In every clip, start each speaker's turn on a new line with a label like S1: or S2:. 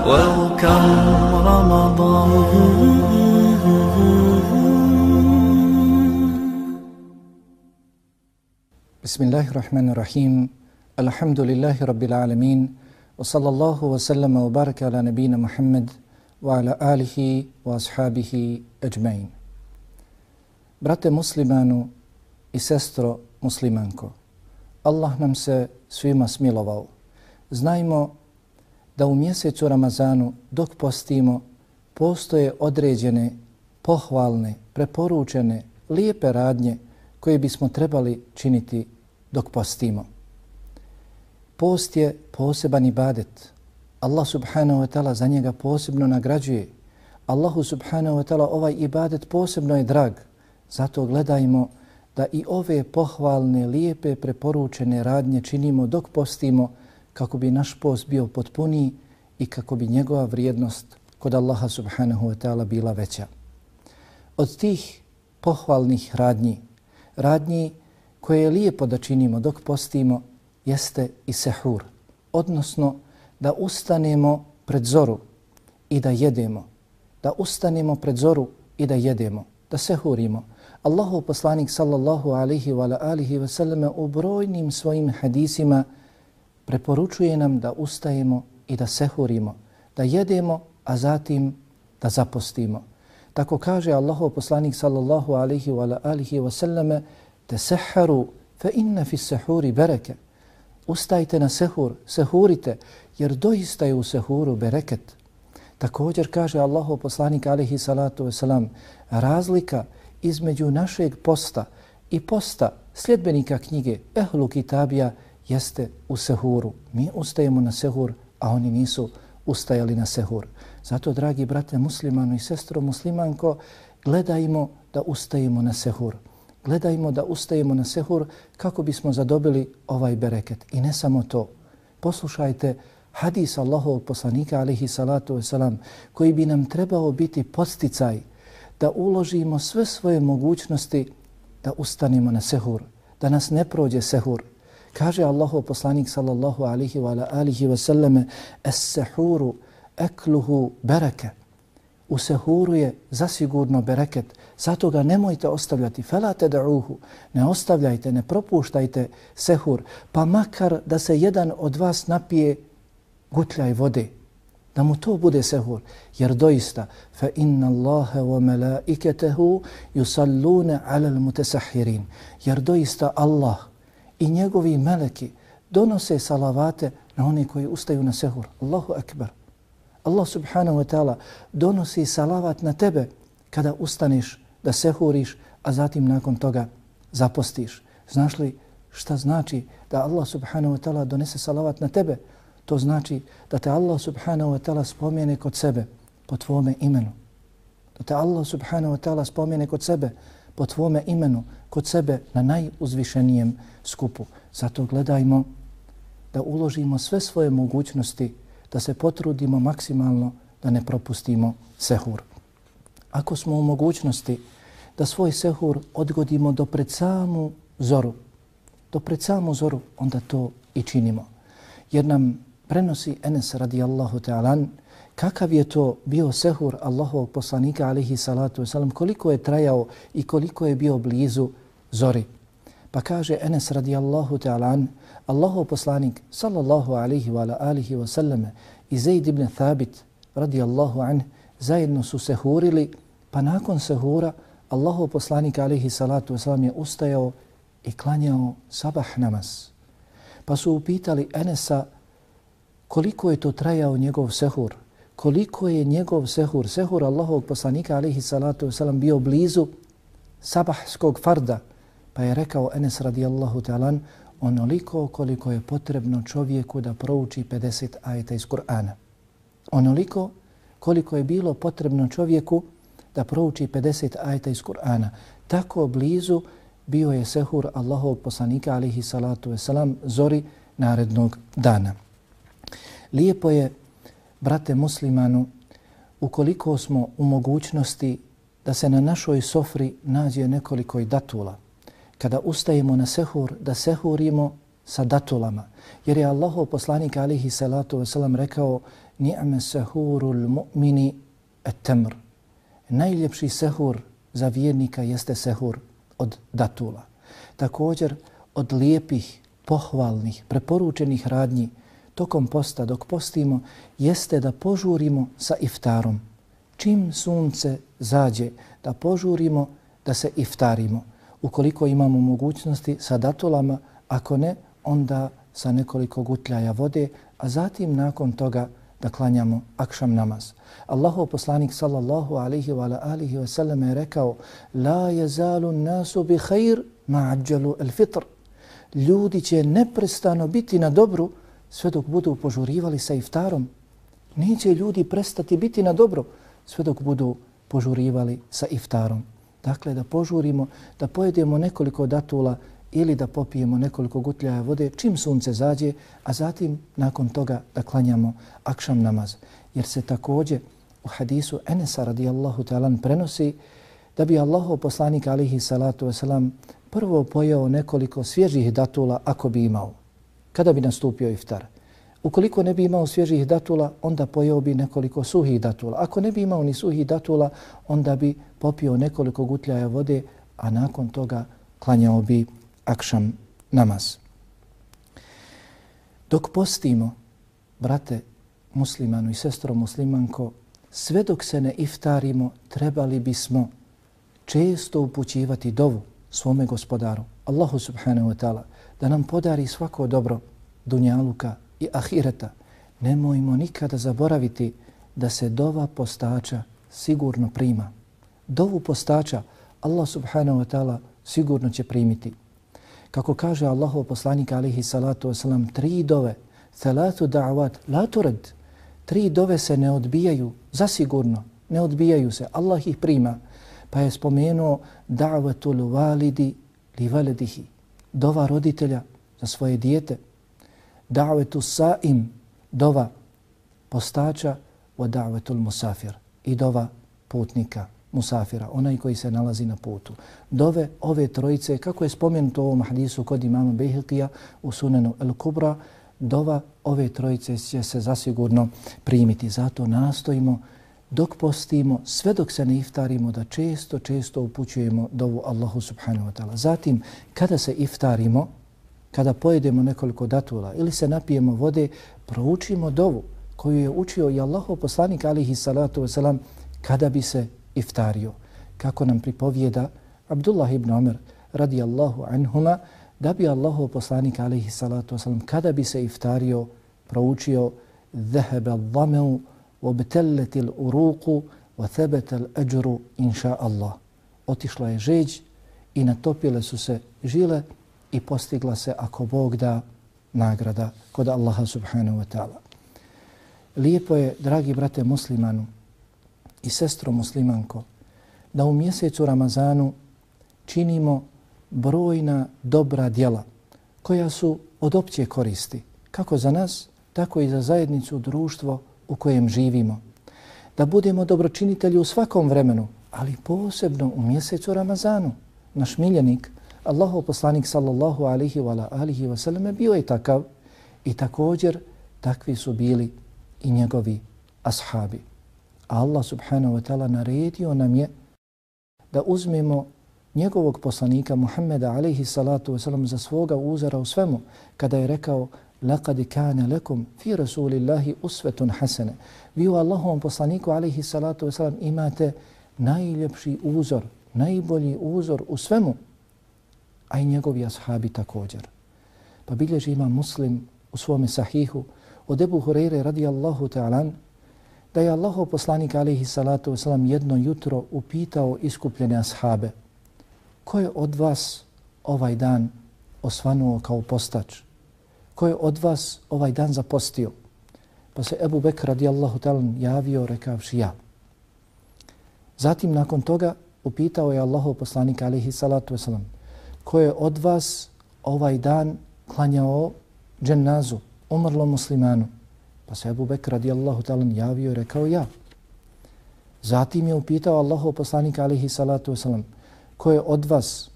S1: Welcome Ramadan.
S2: Bismillahirrahmanirrahim. Alhamdulillahi rabbil alamin. Wa sallallahu wa sallama wa baraka ala nabina Muhammad wa ala alihi wa ashabihi ajmain. Brate muslimanu i sestro muslimanko, Allah nam se svima smilovao. Znajmo da u mjesecu Ramazanu dok postimo postoje određene, pohvalne, preporučene, lijepe radnje koje bismo trebali činiti dok postimo. Post je poseban ibadet. Allah subhanahu wa ta'ala za njega posebno nagrađuje. Allahu subhanahu wa ta'ala ovaj ibadet posebno je drag. Zato gledajmo da i ove pohvalne, lijepe, preporučene radnje činimo dok postimo kako bi naš post bio potpuniji i kako bi njegova vrijednost kod Allaha subhanahu wa ta'ala bila veća. Od tih pohvalnih radnji koje je lijepo da činimo dok postimo jeste i sehur, odnosno da ustanemo pred zoru i da jedemo, da sehurimo. Allahov poslanik sallallahu alaihi wa alihi wa sallam u brojnim svojim hadisima preporučuje nam da ustajemo i da sehurimo, da jedemo, a zatim da zapostimo. Tako kaže Allahov poslanik sallallahu alaihi wa alihi wa sallam: "Tesahharu fa inna fi sahuri bereke." Ustajte na sehur, sehurite, jer doista je u sehuru bereket. Također kaže Allahov poslanik alaihi salatu wasalam: razlika između našeg posta i posta sljedbenika knjige Ehlu Kitabija jeste u sehuru. Mi ustajemo na sehur, a oni nisu ustajali na sehur. Zato, dragi brate muslimanu i sestro muslimanko, gledajmo da ustajemo na sehur. Gledajmo da ustajemo na sehur kako bismo zadobili ovaj bereket. I ne samo to. Poslušajte hadis Allahovog poslanika alaihi salatu wasalam koji bi nam trebao biti podsticaj da uložimo sve svoje mogućnosti da ustanemo na sehur, da nas ne prođe sehur. Kaže Allahov poslanik sallallahu alaihi wa alihi wa sallame: "Es-sehuru ekluhu bereke." U sehuru je zasigurno bereket, zato ga nemojte ostavljati. Fela ted'uhu, ne ostavljajte, ne propuštajte sehur, pa makar da se jedan od vas napije gutljaj vode, da mu to bude sehur, jer doista fa inna Allaha wa malaikatahu yusalluna 'alal mutasahirin, jer doista Allah i njegovi meleki donose salavate na one koji ustaju na sehur. Allahu akbar. Allah subhanahu wa ta'ala donosi salavat na tebe kada ustaneš da sehuriš, a zatim nakon toga zapostiš. Znaš li šta znači da Allah subhanahu wa ta'ala donese salavat na tebe? To znači da te Allah subhanahu wa ta'ala spomene kod sebe po tvome imenu. Da te Allah subhanahu wa ta'ala spomene kod sebe po tvome imenu, kod sebe na najuzvišenijem skupu. Zato gledajmo da uložimo sve svoje mogućnosti, da se potrudimo maksimalno da ne propustimo sehur. Ako smo u mogućnosti da svoj sehur odgodimo do pred samu zoru, onda to i činimo. Jer nam prenosi Enes radijallahu ta'alan kakav je to bio sehur Allahovog poslanika alaihi salatu wasalam, koliko je trajao i koliko je bio blizu zori. Pa kaže Enes radijallahu ta'alan: Allahov poslanik sallallahu alaihi wa alihi wa sallame i Zaid ibn Thabit radijallahu anh zajedno su sehurili, pa nakon sehura Allahov poslanik alaihi salatu wasalam je ustajao i klanjao sabah namaz. Pa su upitali Enesa koliko je to trajao njegov sehur, koliko je njegov sehur Allahovog poslanika alaihi salatu wasalam bio blizu sabahskog farda. Pa je rekao Enes radijallahu ta'alan: onoliko koliko je potrebno čovjeku da prouči 50 ajeta iz Kur'ana. Onoliko koliko je bilo potrebno čovjeku da prouči 50 ajeta iz Kur'ana. Tako blizu bio je sehur Allahovog poslanika alaihi salatu wasalam zori narednog dana. Lijepo je, brate muslimanu, ukoliko smo u mogućnosti da se na našoj sofri nađe nekoliko datula. Kada ustajemo na sehur, da sehurimo sa datulama. Jer je Allahov poslanik alihi salatu wasalam rekao ni'me sehurul mu'mini et-temr. Najljepši sehur za vjernika jeste sehur od datula. Također od lijepih, pohvalnih, preporučenih radnji tokom posta dok postimo jeste da požurimo sa iftarom. Čim sunce zađe da požurimo da se iftarimo. Ukoliko imamo mogućnosti sa datulama, ako ne, onda sa nekoliko gutljaja vode, a zatim nakon toga da klanjamo akšam namaz. Allahov poslanik sallallahu alaihi wa alihi wa sallam je rekao la yazalu nasu bi khair ma ajjalu al fitr. Ljudi će neprestano biti na dobru sve dok budu požurivali sa iftarom. Neće ljudi prestati biti na dobru sve dok budu požurivali sa iftarom. Dakle, da požurimo, da pojedemo nekoliko datula ili da popijemo nekoliko gutljaja vode čim sunce zađe, a zatim nakon toga da klanjamo akšam namaz. Jer se također u hadisu Enesa radijallahu ta'ala prenosi da bi Allahov poslanik alihi salatu wasalam prvo pojeo nekoliko svježih datula ako bi imao, kada bi nastupio iftar. Ukoliko ne bi imao svježih datula, onda pojeo bi nekoliko suhih datula. Ako ne bi imao ni suhih datula, onda bi popio nekoliko gutljaja vode, a nakon toga klanjao bi akšam namaz. Dok postimo, brate muslimanu i sestro muslimanko, sve dok se ne iftarimo, trebali bismo često upućivati dovu svome gospodaru, Allahu subhanahu wa ta'ala, da nam podari svako dobro dunjaluka i ahireta. Nemojmo nikada zaboraviti da se dova postača sigurno prima. Dovu postača Allah subhanahu wa ta'ala sigurno će primiti. Kako kaže Allahov poslanik alihi salatu wasalam, 3 dove, thalatu da'avat, la turad, 3 dove se ne odbijaju, zasigurno, ne odbijaju se, Allah ih prima. Pa je spomenuo da'vatul validi li valedihi, dova roditelja za svoje dijete, da'vetu sa'im, dova postača, wa da'vetul musafir, i dova putnika, musafira, onaj koji se nalazi na putu. Dove ove trojice, kako je spomenuto u ovom hadisu kod imama Bejhekija u Sunenu El Kubra, dova ove trojice će se zasigurno primiti. Zato nastojimo dok postimo, sve dok se ne iftarimo, da često upućujemo dovu Allahu subhanahu wa ta'ala. Zatim, kada se iftarimo, kada pojedemo nekoliko datula ili se napijemo vode, proučimo dovu koju je učio i Allahov poslanik alihi salatu wasalam kada bi se iftario. Kako nam pripovijeda Abdullah ibn Umar radijallahu anhuma, da bi Allahov poslanik alihi salatu wasalam kada bi se iftario proučio ذهب الظمأ وابتلت الأروق وثبت الأجر إن شاء الله. Otišla je žeđ i natopile su se žile i postigla se, ako Bog da, nagrada kod Allaha subhanahu wa ta'ala. Lijepo je, dragi brate muslimanu i sestro muslimanko, da u mjesecu Ramazanu činimo brojna dobra djela koja su od opće koristi, kako za nas, tako i za zajednicu, društvo u kojem živimo. Da budemo dobročinitelji u svakom vremenu, ali posebno u mjesecu Ramazanu. Naš miljenik, Allahov poslanik sallallahu alihi wa sallam, bio je takav i također takvi su bili i njegovi ashabi. A Allah subhanahu wa ta'ala naredio nam je da uzmemo njegovog poslanika Muhammeda alihi salatu wa sallam za svoga uzora u svemu, kada je rekao لَقَدْ كَانَ لَكُمْ فِي رَسُولِ اللَّهِ أُسْوَةٌ حَسَنَ. Vi u Allahovom poslaniku alihi salatu wa sallam imate najljepši uzor, najbolji uzor u svemu, a i njegovi ashabi također. Pa bilježi ima Muslim u svome sahihu od Ebu Hureyre radijallahu ta'ala da je Allahov poslanik alihi salatu wasalam jedno jutro upitao iskupljene ashabe: ko je od vas ovaj dan osvanuo kao postač? Ko je od vas ovaj dan zapostio? Pa se Ebu Bekr radijallahu ta'ala javio rekavši ja. Zatim nakon toga upitao je Allahov poslanik alihi salatu wasalam: ko je od vas ovaj dan klanjao dženazu, umrlom muslimanu? Pa se Ebu Bekr radijallahu ta'ala javio i rekao ja. Zatim je upitao Allahov poslanik alihi salatu wasalam: ko je od vas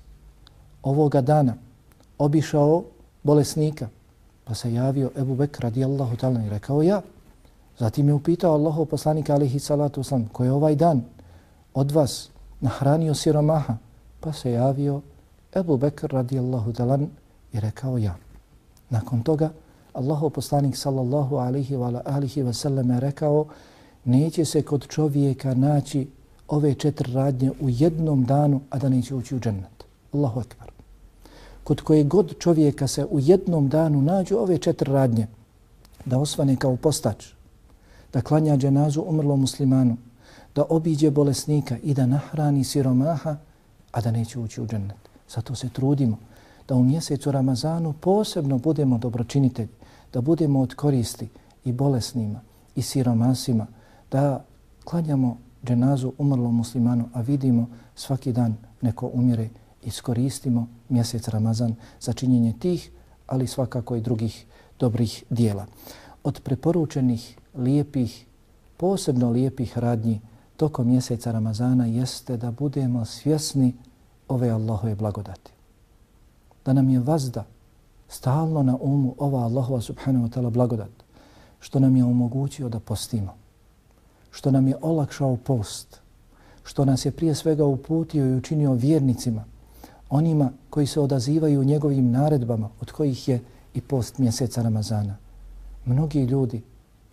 S2: ovoga dana obišao bolesnika. Pa se javio Ebu Bekr radijallahu ta'ala i rekao ja. Zatim je upitao Allahov poslanika alejhi salatu vesselam koji je ovaj dan od vas nahranio siromaha. Pa se javio Ebu Bekr radijallahu ta'ala i rekao ja. Nakon toga Allahov poslanik sallallahu alejhi ve sellem je rekao neće se kod čovjeka naći ove 4 radnje u jednom danu, a da neće ući u džennet. Allahu ekber. Kod koje god čovjeka se u jednom danu nađu ove 4 radnje, da osvane kao postač, da klanja dženazu umrlom muslimanu, da obiđe bolesnika i da nahrani siromaha, a da neće ući u džennet. Zato se trudimo da u mjesecu Ramazanu posebno budemo dobročinitelji, da budemo od koristi i bolesnima i siromasima, da klanjamo dženazu umrlom muslimanu, a vidimo svaki dan neko umire, iskoristimo mjesec Ramazan za činjenje tih, ali svakako i drugih dobrih dijela. Od preporučenih lijepih, posebno lijepih radnji tokom mjeseca Ramazana jeste da budemo svjesni ove Allahove blagodati. Da nam je vazda stalno na umu ova Allahova subhanahu wa ta'ala blagodat, što nam je omogućio da postimo, što nam je olakšao post, što nas je prije svega uputio i učinio vjernicima, onima koji se odazivaju njegovim naredbama, od kojih je i post mjeseca Ramazana. Mnogi ljudi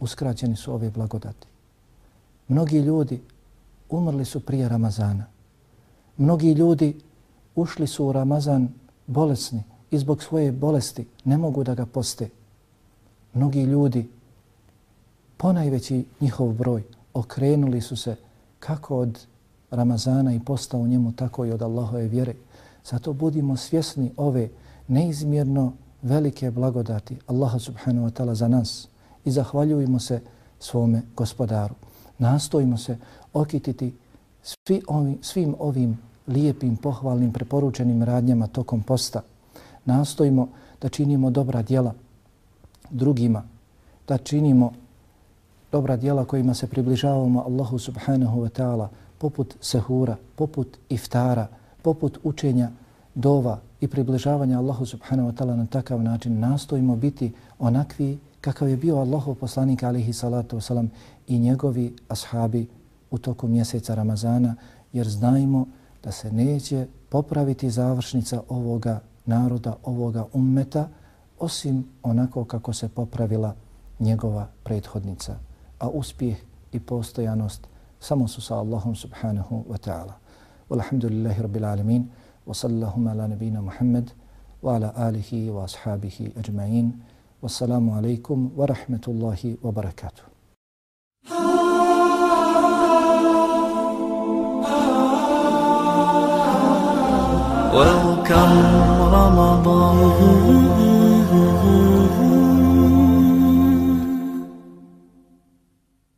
S2: uskraćeni su ove blagodati. Mnogi ljudi umrli su prije Ramazana. Mnogi ljudi ušli su u Ramazan bolesni i zbog svoje bolesti ne mogu da ga poste. Mnogi ljudi, ponajveći njihov broj, okrenuli su se kako od Ramazana i posta u njemu, tako i od Allahove vjere. Zato budimo svjesni ove neizmjerno velike blagodati Allaha subhanahu wa ta'ala za nas i zahvaljujemo se svome gospodaru. Nastojimo se okititi svim ovim lijepim, pohvalnim, preporučenim radnjama tokom posta. Nastojimo da činimo dobra djela drugima, da činimo dobra djela kojima se približavamo Allahu subhanahu wa ta'ala, poput sehura, poput iftara, poput učenja dova i približavanja Allahu subhanahu wa ta'ala na takav način. Nastojimo biti onakvi kakav je bio Allahov poslanik alejhi salatu wasalam i njegovi ashabi u toku mjeseca Ramazana, jer znajmo da se neće popraviti završnica ovoga naroda, ovoga ummeta, osim onako kako se popravila njegova prethodnica. A uspjeh i postojanost samo su sa Allahom subhanahu wa ta'ala. Walhamdulillahi rabbil alamin, wa sallallahu ala nabina Muhammad, wa ala alihi wa ashabihi ajma'in. Wassalamu alaikum wa rahmatullahi wa barakatuh.
S1: Welcome Ramadan.